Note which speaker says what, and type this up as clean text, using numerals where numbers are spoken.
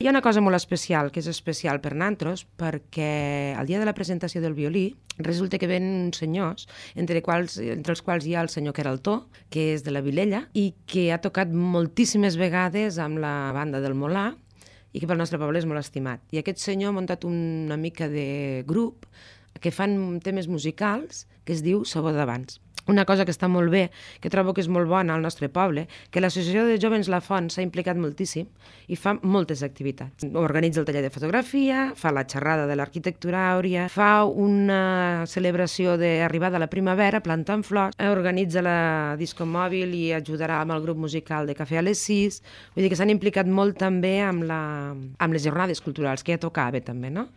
Speaker 1: Hi ha una cosa molt especial, que és especial per nantros, perquè el dia de la presentació del violí resulta que ven uns senyors, entre els quals hi ha el senyor Queraltó, que és de la Vilella, i que ha tocat moltíssimes vegades amb la banda del Molà, i que pel nostre poble és molt estimat. I aquest senyor ha muntat una mica de grup que fan temes musicals que es diu Sabor d'Abans. Una cosa que està molt bé, que trobo que és molt bona al nostre poble, que l'Associació de Jóvens La Font s'ha implicat moltíssim i fa moltes activitats. Organitza el taller de fotografia, fa la xerrada de l'arquitectura àurea, fa una celebració d'arribada a la primavera plantant flors, organitza la disco mòbil i ajudarà amb el grup musical de Cafè a les 6. Vull dir que s'han implicat molt també amb les jornades culturals, que ja tocava també, no?